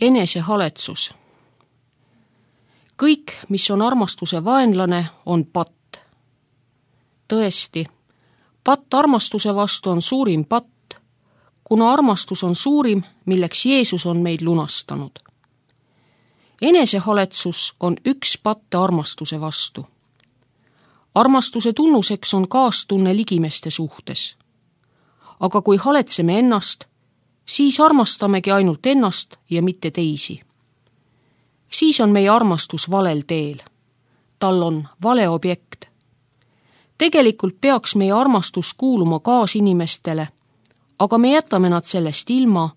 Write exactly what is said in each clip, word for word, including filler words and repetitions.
Enesehaletsus. Kõik, mis on armastuse vaenlane, on patt. Tõesti, patt armastuse vastu on suurim patt, kuna armastus on suurim, milleks Jeesus on meid lunastanud. Enesehaletsus on üks patte armastuse vastu. Armastuse tunnuseks on kaastunne ligimeste suhtes. Aga kui haletseme ennast, siis armastamegi ainult ennast ja mitte teisi. Siis on meie armastus valel teel. Tal on vale objekt. Tegelikult peaks meie armastus kuuluma kaasinimestele, aga me jätame nad sellest ilma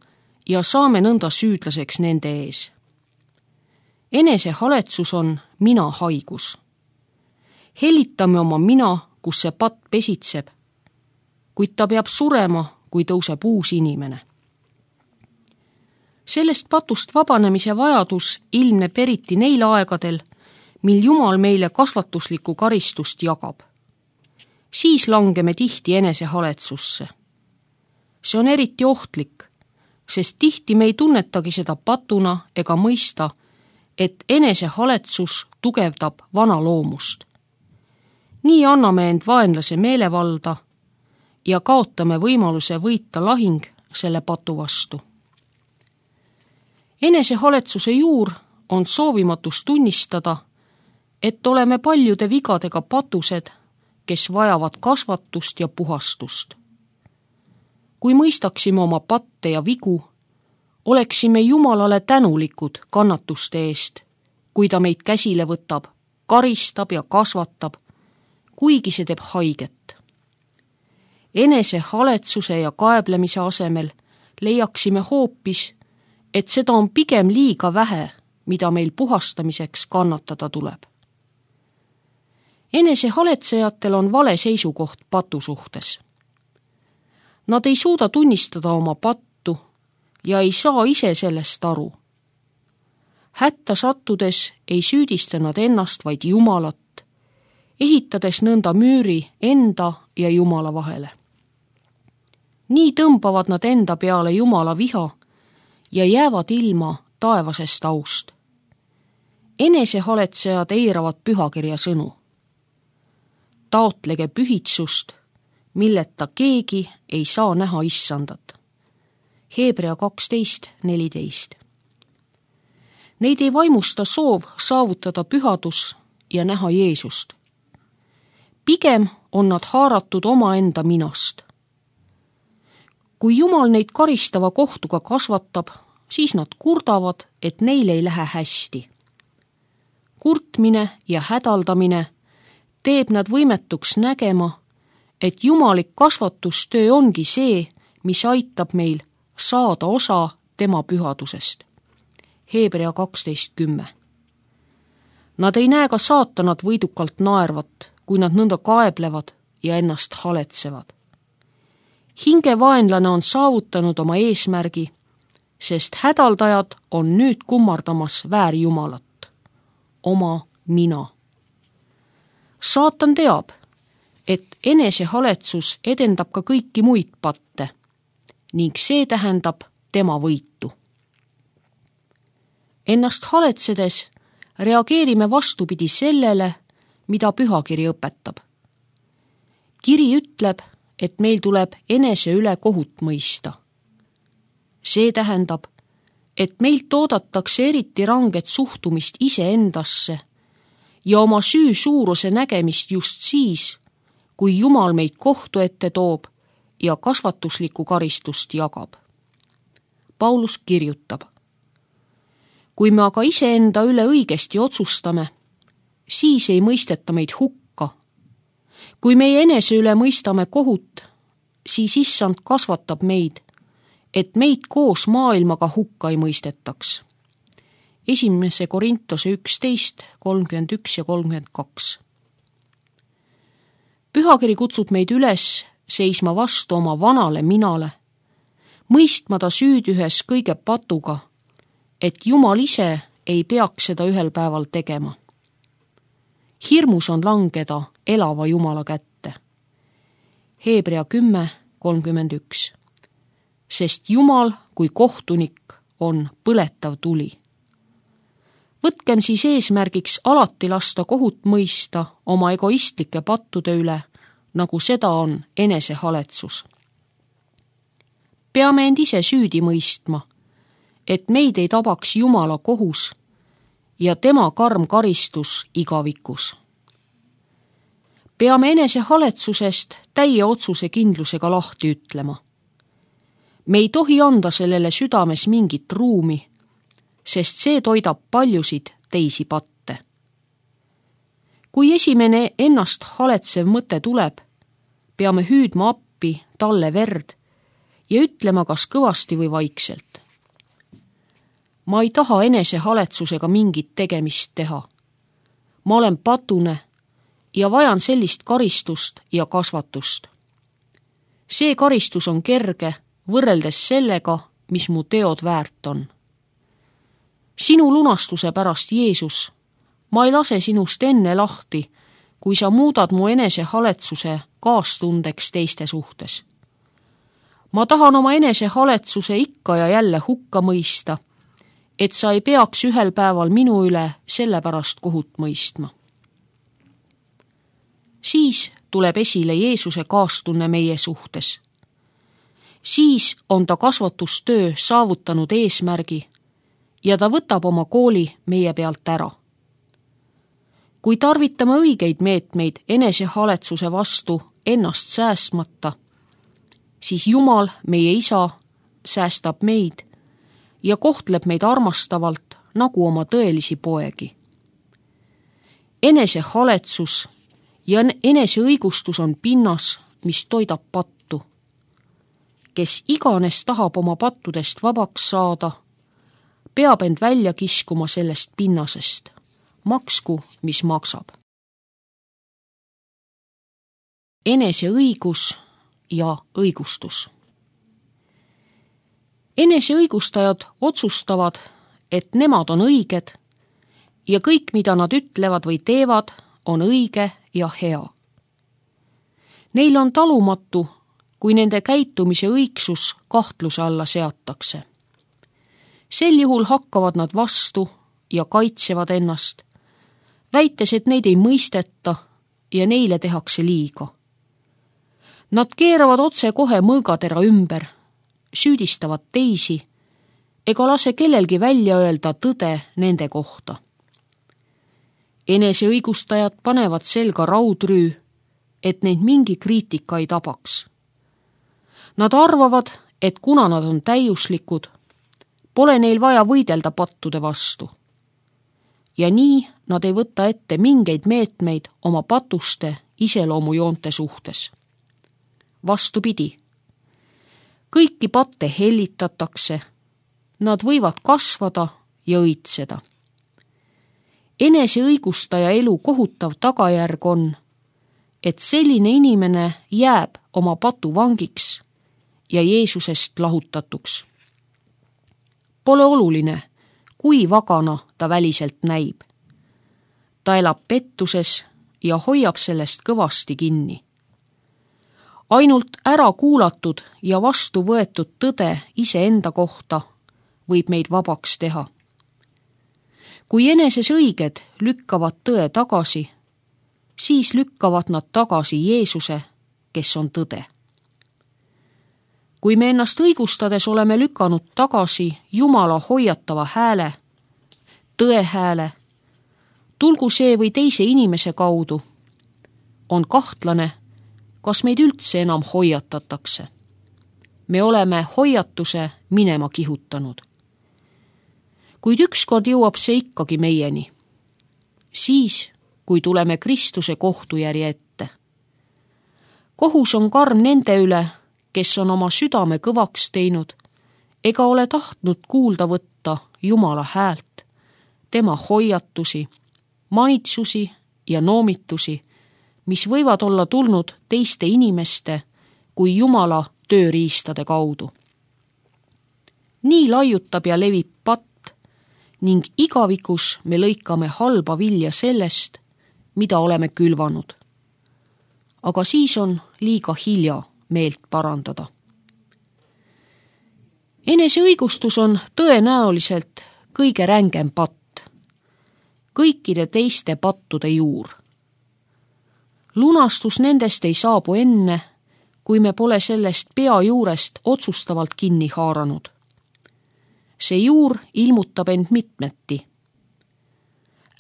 ja saame nõnda süüdlaseks nende ees. Enesehaletsus on mina haigus. Hellitame oma mina, kus see patt pesitseb, kuid ta peab surema, kui tõuseb uus inimene. Sellest patust vabanemise vajadus ilmneb eriti neil aegadel, mil Jumal meile kasvatuslikku karistust jagab. Siis langeme tihti enesehaletsusse. See on eriti ohtlik, sest tihti me ei tunnetagi seda patuna ega mõista, et enesehaletsus tugevdab vana loomust. Nii anname end vaenlase meelevalda ja kaotame võimaluse võita lahing selle patu vastu. Enesehaletsuse juur on soovimatus tunnistada, et oleme paljude vigadega patused, kes vajavad kasvatust ja puhastust. Kui mõistaksime oma patte ja vigu, oleksime Jumalale tänulikud kannatuste eest, kui ta meid käsile võtab, karistab ja kasvatab, kuigi see teeb haiget. Enesehaletsuse ja kaeblemise asemel leiaksime hoopis, et seda on pigem liiga vähe, mida meil puhastamiseks kannatada tuleb. Enesehaletsejatel on vale seisukoht patu suhtes. Nad ei suuda tunnistada oma pattu ja ei saa ise sellest aru. Hätta sattudes ei süüdista nad ennast, vaid Jumalat, ehitades nõnda müüri enda ja Jumala vahele. Nii tõmbavad nad enda peale Jumala viha ja jäävad ilma taevasest aust. Enesehaletsejad eiravad pühakirja sõnu. Taotlege pühitsust, milleta keegi ei saa näha issandat. Hebrea kaksteist neliteist. Neid ei vaimusta soov saavutada pühadus ja näha Jeesust. Pigem on nad haaratud omaenda minast. Kui Jumal neid karistava kohtuga kasvatab, siis nad kurdavad, et neil ei lähe hästi. Kurtmine ja hädaldamine teeb nad võimetuks nägema, et jumalik kasvatustöö ongi see, mis aitab meil saada osa tema pühadusest. Hebrea kaksteist kümme. Nad ei näe ka saatanat võidukalt naervat, kui nad nõnda kaeblevad ja ennast haletsevad. Hingevaenlane on saavutanud oma eesmärgi, sest hädaldajad on nüüd kummardamas väärjumalat, oma mina. Saatan teab, et enesehaletsus edendab ka kõiki muid patte ning see tähendab tema võitu. Ennast haletsedes reageerime vastupidi sellele, mida pühakiri õpetab. Kiri ütleb, et meil tuleb enese üle kohut mõista. See tähendab, et meilt oodatakse eriti ranget suhtumist iseendasse ja oma süü suuruse nägemist just siis, kui Jumal meid kohtu ette toob ja kasvatuslikku karistust jagab. Paulus kirjutab: kui me aga iseenda üle õigesti otsustame, siis ei mõisteta meid hukka. Kui meie enese üle mõistame kohut, siis issand kasvatab meid, et meid koos maailmaga hukka ei mõistetaks. Esimese Korintuse üksteist, kolmkümmend üks ja kolmkümmend kaks. Pühakiri kutsub meid üles seisma vastu oma vanale minale, mõistma ta süüd ühes kõige patuga, et Jumal ise ei peaks seda ühel päeval tegema. Hirmus on langeda elava Jumala kätte. Hebrea kümme kolmkümmend üks. Sest Jumal kui kohtunik on põletav tuli. Võtkem siis eesmärgiks alati lasta kohut mõista oma egoistlike pattude üle, nagu seda on enesehaletsus. Peame end ise süüdi mõistma, et meid ei tabaks Jumala kohus ja tema karm karistus igavikus. Peame enesehaletsusest täie otsuse kindlusega lahti ütlema. Me ei tohi anda sellele südames mingit ruumi, sest see toidab paljusid teisi patte. Kui esimene ennast haletsev mõte tuleb, peame hüüdma appi talle verd ja ütlema kas kõvasti või vaikselt. Ma ei taha enesehaletsusega mingit tegemist teha. Ma olen patune ja vajan sellist karistust ja kasvatust. See karistus on kerge võrreldes sellega, mis mu teod väärt on. Sinu lunastuse pärast, Jeesus, ma ei lase sinust enne lahti, kui sa muudad mu enesehaletsuse kaastundeks teiste suhtes. Ma tahan oma enesehaletsuse ikka ja jälle hukka mõista, et sa ei peaks ühel päeval minu üle selle pärast kohut mõistma. Siis tuleb esile Jeesuse kaastunne meie suhtes. Siis on ta kasvatustöö saavutanud eesmärgi ja ta võtab oma kooli meie pealt ära. Kui tarvitame õigeid meetmeid enesehaletsuse vastu ennast säästmata, siis Jumal, meie Isa, säästab meid ja kohtleb meid armastavalt nagu oma tõelisi poegi. Enesehaletsus ja eneseõigustus on pinnas, mis toidab pattu. Kes iganes tahab oma pattudest vabaks saada, peab end välja kiskuma sellest pinnasest, maksku, mis maksab. Eneseõigus ja õigustus. Eneseõigustajad otsustavad, et nemad on õiged ja kõik, mida nad ütlevad või teevad, on õige ja hea. Neil on talumatu, kui nende käitumise õigsus kahtluse alla seatakse. Sel juhul hakkavad nad vastu ja kaitsevad ennast, väites, et neid ei mõisteta ja neile tehakse liiga. Nad keeravad otse kohe mõõgatera ümber, süüdistavad teisi ega lase kellelgi välja öelda tõde nende kohta. Eneseõigustajad panevad selga raudrüü, et neid mingi kriitika ei tabaks. Nad arvavad, et kuna nad on täiuslikud, pole neil vaja võidelda pattude vastu. Ja nii nad ei võta ette mingeid meetmeid oma patuste iseloomujoonte suhtes. Vastupidi, kõiki patte hellitatakse, nad võivad kasvada ja õitseda. Eneseõigustaja elu kohutav tagajärg on, et selline inimene jääb oma patu vangiks ja Jeesusest lahutatuks. Pole oluline, kui vagana ta väliselt näib. Ta elab pettuses ja hoiab sellest kõvasti kinni. Ainult ära kuulatud ja vastu võetud tõde iseenda kohta võib meid vabaks teha. Kui eneses õiged lükkavad tõe tagasi, siis lükkavad nad tagasi Jeesuse, kes on tõde. Kui me ennast õigustades oleme lükanud tagasi Jumala hoiatava hääle, tõe hääle, tulgu see või teise inimese kaudu, on kahtlane, kas meid üldse enam hoiatatakse. Me oleme hoiatuse minema kihutanud. Kuid ükskord jõuab see ikkagi meieni. Siis, kui tuleme Kristuse kohtujärje ette. Kohus on karm nende üle, kes on oma südame kõvaks teinud ega ole tahtnud kuulda võtta Jumala häält, tema hoiatusi, manitsusi ja noomitusi, mis võivad olla tulnud teiste inimeste kui Jumala tööriistade kaudu. Nii laiutab ja levib patt ning igavikus me lõikame halba vilja sellest, mida oleme külvanud. Aga siis on liiga hilja meelt parandada. eneseõigustus on tõenäoliselt kõige rängem patt, kõikide teiste pattude juur. Lunastus nendest ei saabu enne, kui me pole sellest pea juurest otsustavalt kinni haaranud. See juur ilmutab end mitmeti.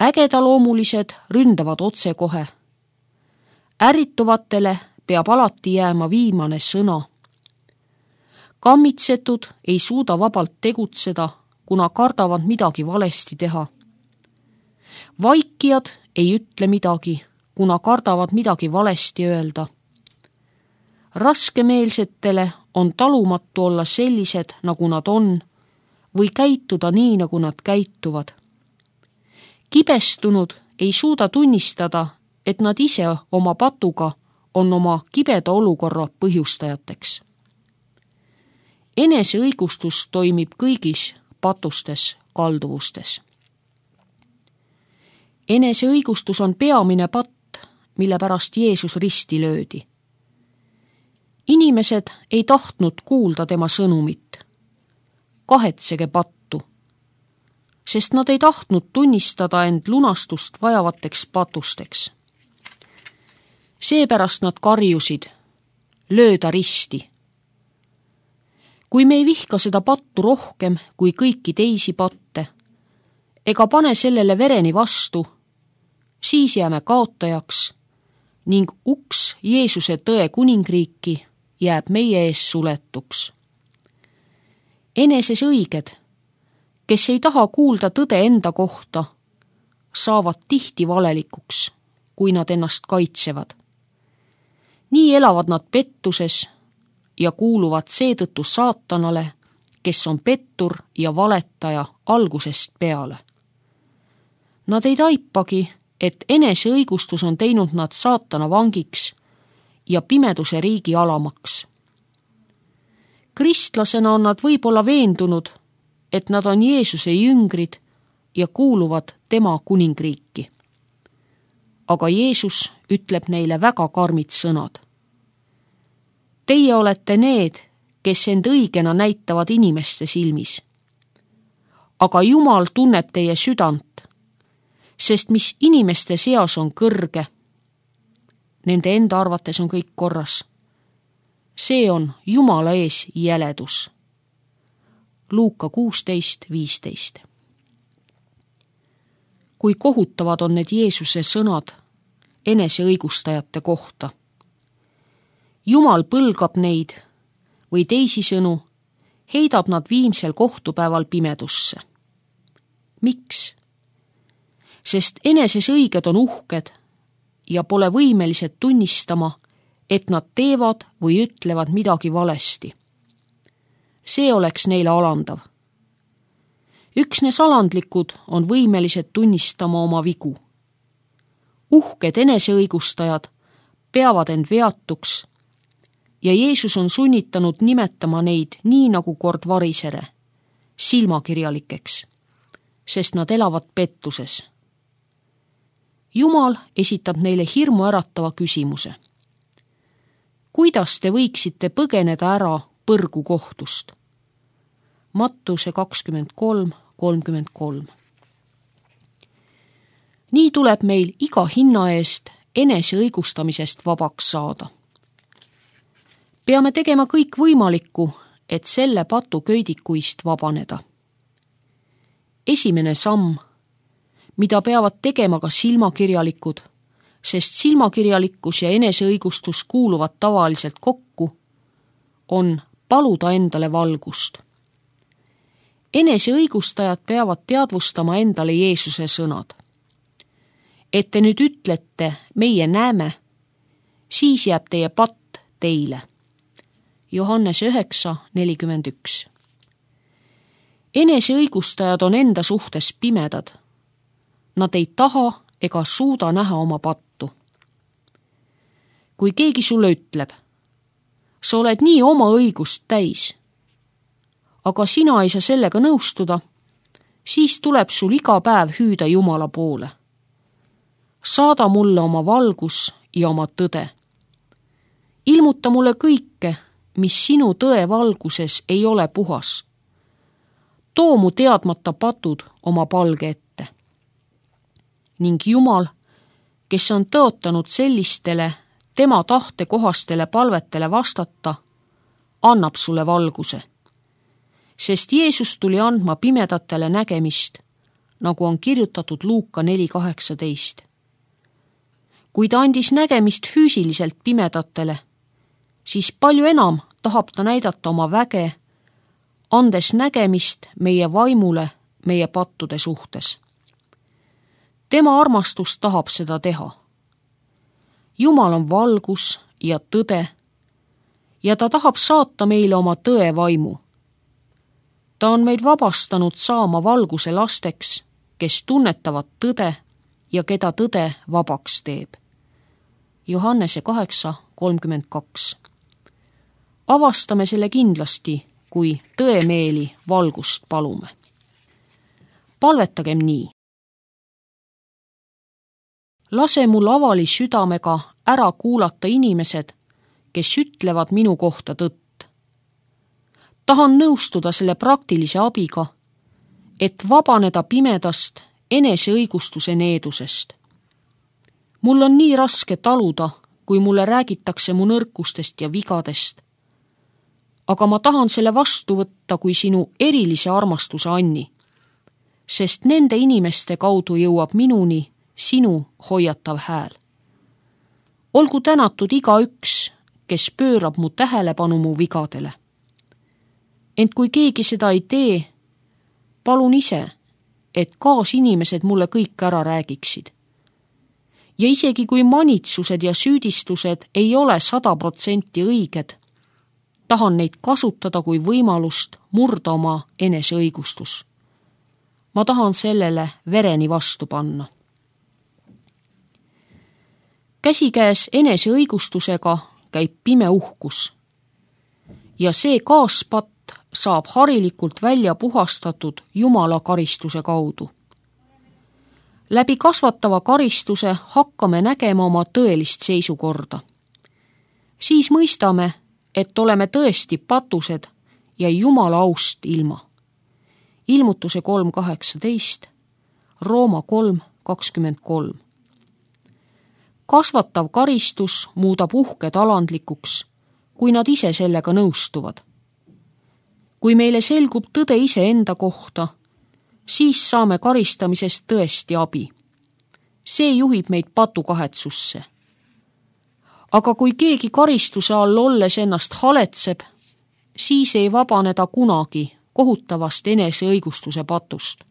Ägedaloomulised ründavad otsekohe. Ärrituvatele peab alati jääma viimane sõna. Kammitsetud ei suuda vabalt tegutseda, kuna kardavad midagi valesti teha. Vaikijad ei ütle midagi, kuna kardavad midagi valesti öelda. Raskemeelsetele on talumatu olla sellised, nagu nad on, või käituda nii, nagu nad käituvad. Kibestunud ei suuda tunnistada, et nad ise oma patuga on oma kibeda olukorra põhjustajateks. Eneseõigustus toimib kõigis patustes kalduvustes. Eneseõigustus on peamine patt, mille pärast Jeesus risti löödi. Inimesed ei tahtnud kuulda tema sõnumit. Kahetsege pattu, sest nad ei tahtnud tunnistada end lunastust vajavateks patusteks. Seepärast nad karjusid, lööda risti. Kui me ei vihka seda pattu rohkem kui kõiki teisi patte, ega pane sellele vereni vastu, siis jääme kaotajaks ning uks Jeesuse tõe kuningriiki jääb meie ees suletuks. Eneses õiged, kes ei taha kuulda tõde enda kohta, saavad tihti valelikuks, kui nad ennast kaitsevad. Nii elavad nad pettuses ja kuuluvad seetõttu saatanale, kes on pettur ja valetaja algusest peale. Nad ei taipagi, et eneseõigustus on teinud nad saatana vangiks ja pimeduse riigi alamaks. Kristlasena on nad võib-olla veendunud, et nad on Jeesuse jüngrid ja kuuluvad tema kuningriiki. Aga Jeesus ütleb neile väga karmid sõnad. Teie olete need, kes end õigena näitavad inimeste silmis. Aga Jumal tunneb teie südant, sest mis inimeste seas on kõrge, nende enda arvates on kõik korras. See on Jumala ees jäledus. Luuka kuusteist viisteist. Kui kohutavad on need Jeesuse sõnad eneseõigustajate kohta. Jumal põlgab neid või teisisõnu heidab nad viimsel kohtupäeval pimedusse. Miks? Sest eneses õiged on uhked ja pole võimelised tunnistama, et nad teevad või ütlevad midagi valesti. See oleks neile alandav. Üksnes alandlikud on võimelised tunnistama oma vigu. Uhked eneseõigustajad peavad end veatuks ja Jeesus on sunnitanud nimetama neid nii nagu kord varisere, silmakirjalikeks, sest nad elavad pettuses. Jumal esitab neile hirmu äratava küsimuse. Kuidas te võiksite põgeneda ära põrgu kohtust? Mattuse kakskümmend kolm kolmkümmend kolm. Nii tuleb meil iga hinna eest eneseõigustamisest vabaks saada. Peame tegema kõik võimalikku, et selle patu köidikuist vabaneda. Esimene samm, mida peavad tegema ka silmakirjalikud, sest silmakirjalikkus ja eneseõigustus kuuluvad tavaliselt kokku, on paluda endale valgust. Eneseõigustajad peavad teadvustama endale Jeesuse sõnad. Et te nüüd ütlete, meie näeme, siis jääb teie patt teile. Johannese üheksa nelikümmend üks. Eneseõigustajad on enda suhtes pimedad. Nad ei taha ega suuda näha oma pattu. Kui keegi sulle ütleb, sa oled nii oma õigust täis, aga sina ei saa sellega nõustuda, siis tuleb sul iga päev hüüda Jumala poole. Saada mulle oma valgus ja oma tõde. Ilmuta mulle kõike, mis sinu tõe valguses ei ole puhas too mu teadmata patud oma palge ette. Ning Jumal, kes on tõotanud sellistele tema tahte kohastele palvetele vastata, annab sulle valguse. Sest Jeesus tuli andma pimedatele nägemist, nagu on kirjutatud Luuka neli kaheksateist. Kui ta andis nägemist füüsiliselt pimedatele, siis palju enam tahab ta näidata oma väge, andes nägemist meie vaimule meie pattude suhtes. Tema armastus tahab seda teha. Jumal on valgus ja tõde ja ta tahab saata meile oma tõe vaimu. Ta on meid vabastanud saama valguse lasteks, kes tunnetavad tõde ja keda tõde vabaks teeb. Johannese kaheksa kolmkümmend kaks. Avastame selle kindlasti, kui tõemeeli valgust palume. Palvetagem nii. Lase mul avali südamega ära kuulata inimesed, kes ütlevad minu kohta tõtt. Tahan nõustuda selle praktilise abiga, et vabaneda pimedast eneseõigustuse needusest. Mul on nii raske taluda, kui mulle räägitakse mu nõrkustest ja vigadest. Aga ma tahan selle vastu võtta kui sinu erilise armastuse anni, sest nende inimeste kaudu jõuab minuni sinu hoiatav hääl. Olgu tänatud igaüks, kes pöörab mu tähelepanu mu vigadele. Ent kui keegi seda ei tee, palun ise, et kaasinimesed mulle kõik ära räägiksid. Ja isegi kui manitsused ja süüdistused ei ole sada protsenti õiged, tahan neid kasutada kui võimalust murda oma eneseõigustus. Ma tahan sellele vereni vastu panna. Käsikäes eneseõigustusega käib pime uhkus ja see kaaspatt saab harilikult välja puhastatud Jumala karistuse kaudu. Läbi kasvatava karistuse hakkame nägema oma tõelist seisukorda. Siis mõistame, et oleme tõesti patused ja Jumala aust ilma. Ilmutuse kolm kaheksateist, Rooma kolm kakskümmend kolm. Kasvatav karistus muudab uhked alandlikuks, kui nad ise sellega nõustuvad. Kui meile selgub tõde iseenda kohta, siis saame karistamisest tõesti abi. See juhib meid patukahetsusse. Aga kui keegi karistuse all olles ennast haletseb, siis ei vabane ta kunagi kohutavast eneseõigustuse patust.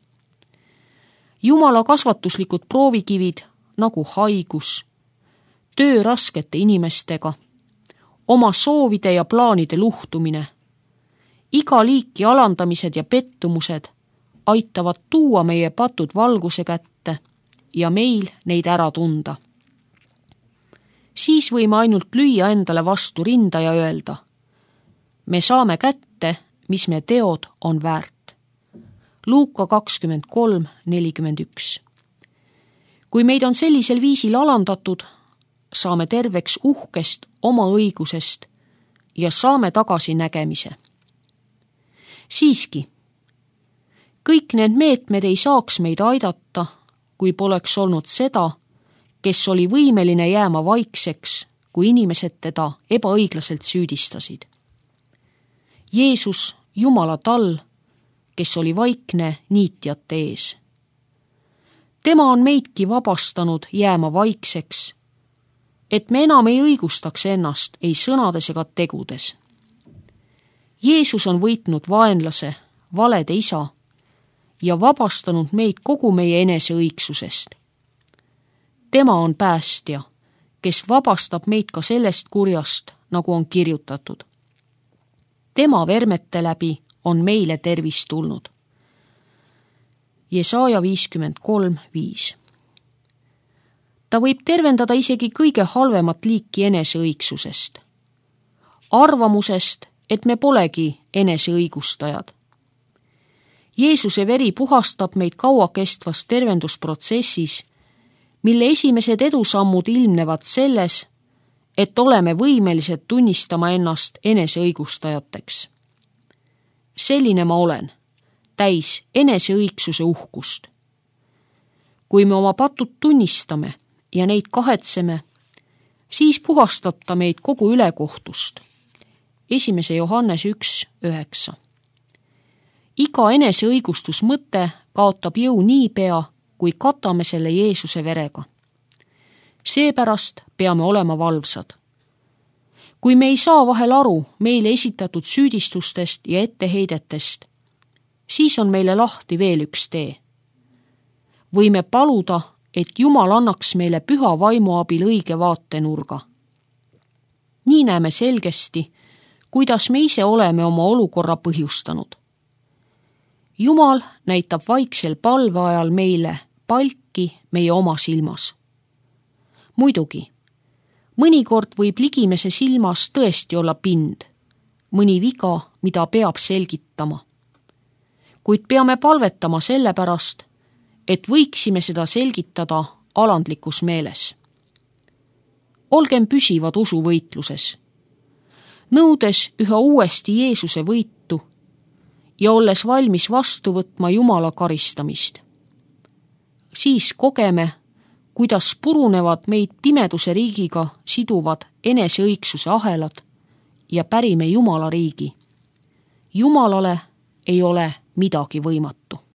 Jumala kasvatuslikud proovikivid nagu haigus, töö raskete inimestega, oma soovide ja plaanide luhtumine, iga liiki alandamised ja pettumused aitavad tuua meie patud valguse kätte ja meil neid ära tunda. Siis võime ainult lüüa endale vastu rinda ja öelda, me saame kätte, mis me teod on väärt. Luuka kakskümmend kolm nelikümmend üks. Kui meid on sellisel viisil alandatud, saame terveks uhkest oma õigusest ja saame tagasi nägemise. Siiski, kõik need meetmed ei saaks meid aidata, kui poleks olnud seda, kes oli võimeline jääma vaikseks, kui inimesed teda ebaõiglaselt süüdistasid. Jeesus, Jumala tall, kes oli vaikne niitjate ees. Tema on meidki vabastanud jääma vaikseks, et me enam ei õigustaks ennast ei sõnades ega tegudes. Jeesus on võitnud vaenlase, valede isa ja vabastanud meid kogu meie eneseõigsusest. Tema on päästja, kes vabastab meid ka sellest kurjast, nagu on kirjutatud. Tema vermete läbi on meile tervis tulnud. Jesaja viiskümmend kolm viis. Ta võib tervendada isegi kõige halvemat liiki eneseõigsusest. Arvamusest, et me polegi eneseõigustajad. Jeesuse veri puhastab meid kauakestvas tervendusprotsessis, mille esimesed edusammud ilmnevad selles, et oleme võimelised tunnistama ennast eneseõigustajateks. Selline ma olen, täis eneseõigsuse uhkust. kui me oma patud tunnistame ja neid kahetseme, siis puhastab ta meid kogu ülekohtust. esimese Johannese üks üheksa. iga eneseõigustusmõte kaotab jõu niipea, kui katame selle Jeesuse verega. Seepärast peame olema valvsad. kui me ei saa vahel aru meile esitatud süüdistustest ja etteheidetest, siis on meile lahti veel üks tee. võime paluda, et Jumal annaks meile püha vaimu abil õige vaatenurga. nii näeme selgesti, kuidas me ise oleme oma olukorra põhjustanud. Jumal näitab vaiksel palve ajal meile palki meie oma silmas. muidugi, mõnikord võib ligimese silmas tõesti olla pind, mõni viga, mida peab selgitama. kuid peame palvetama sellepärast, et võiksime seda selgitada alandlikus meeles. olgem püsivad usuvõitluses, nõudes üha uuesti Jeesuse võitu ja olles valmis vastu võtma Jumala karistamist. siis kogeme, kuidas purunevad meid pimeduse riigiga siduvad eneseõigsuse ahelad ja pärime Jumala riigi. Jumalale ei ole midagi võimatu.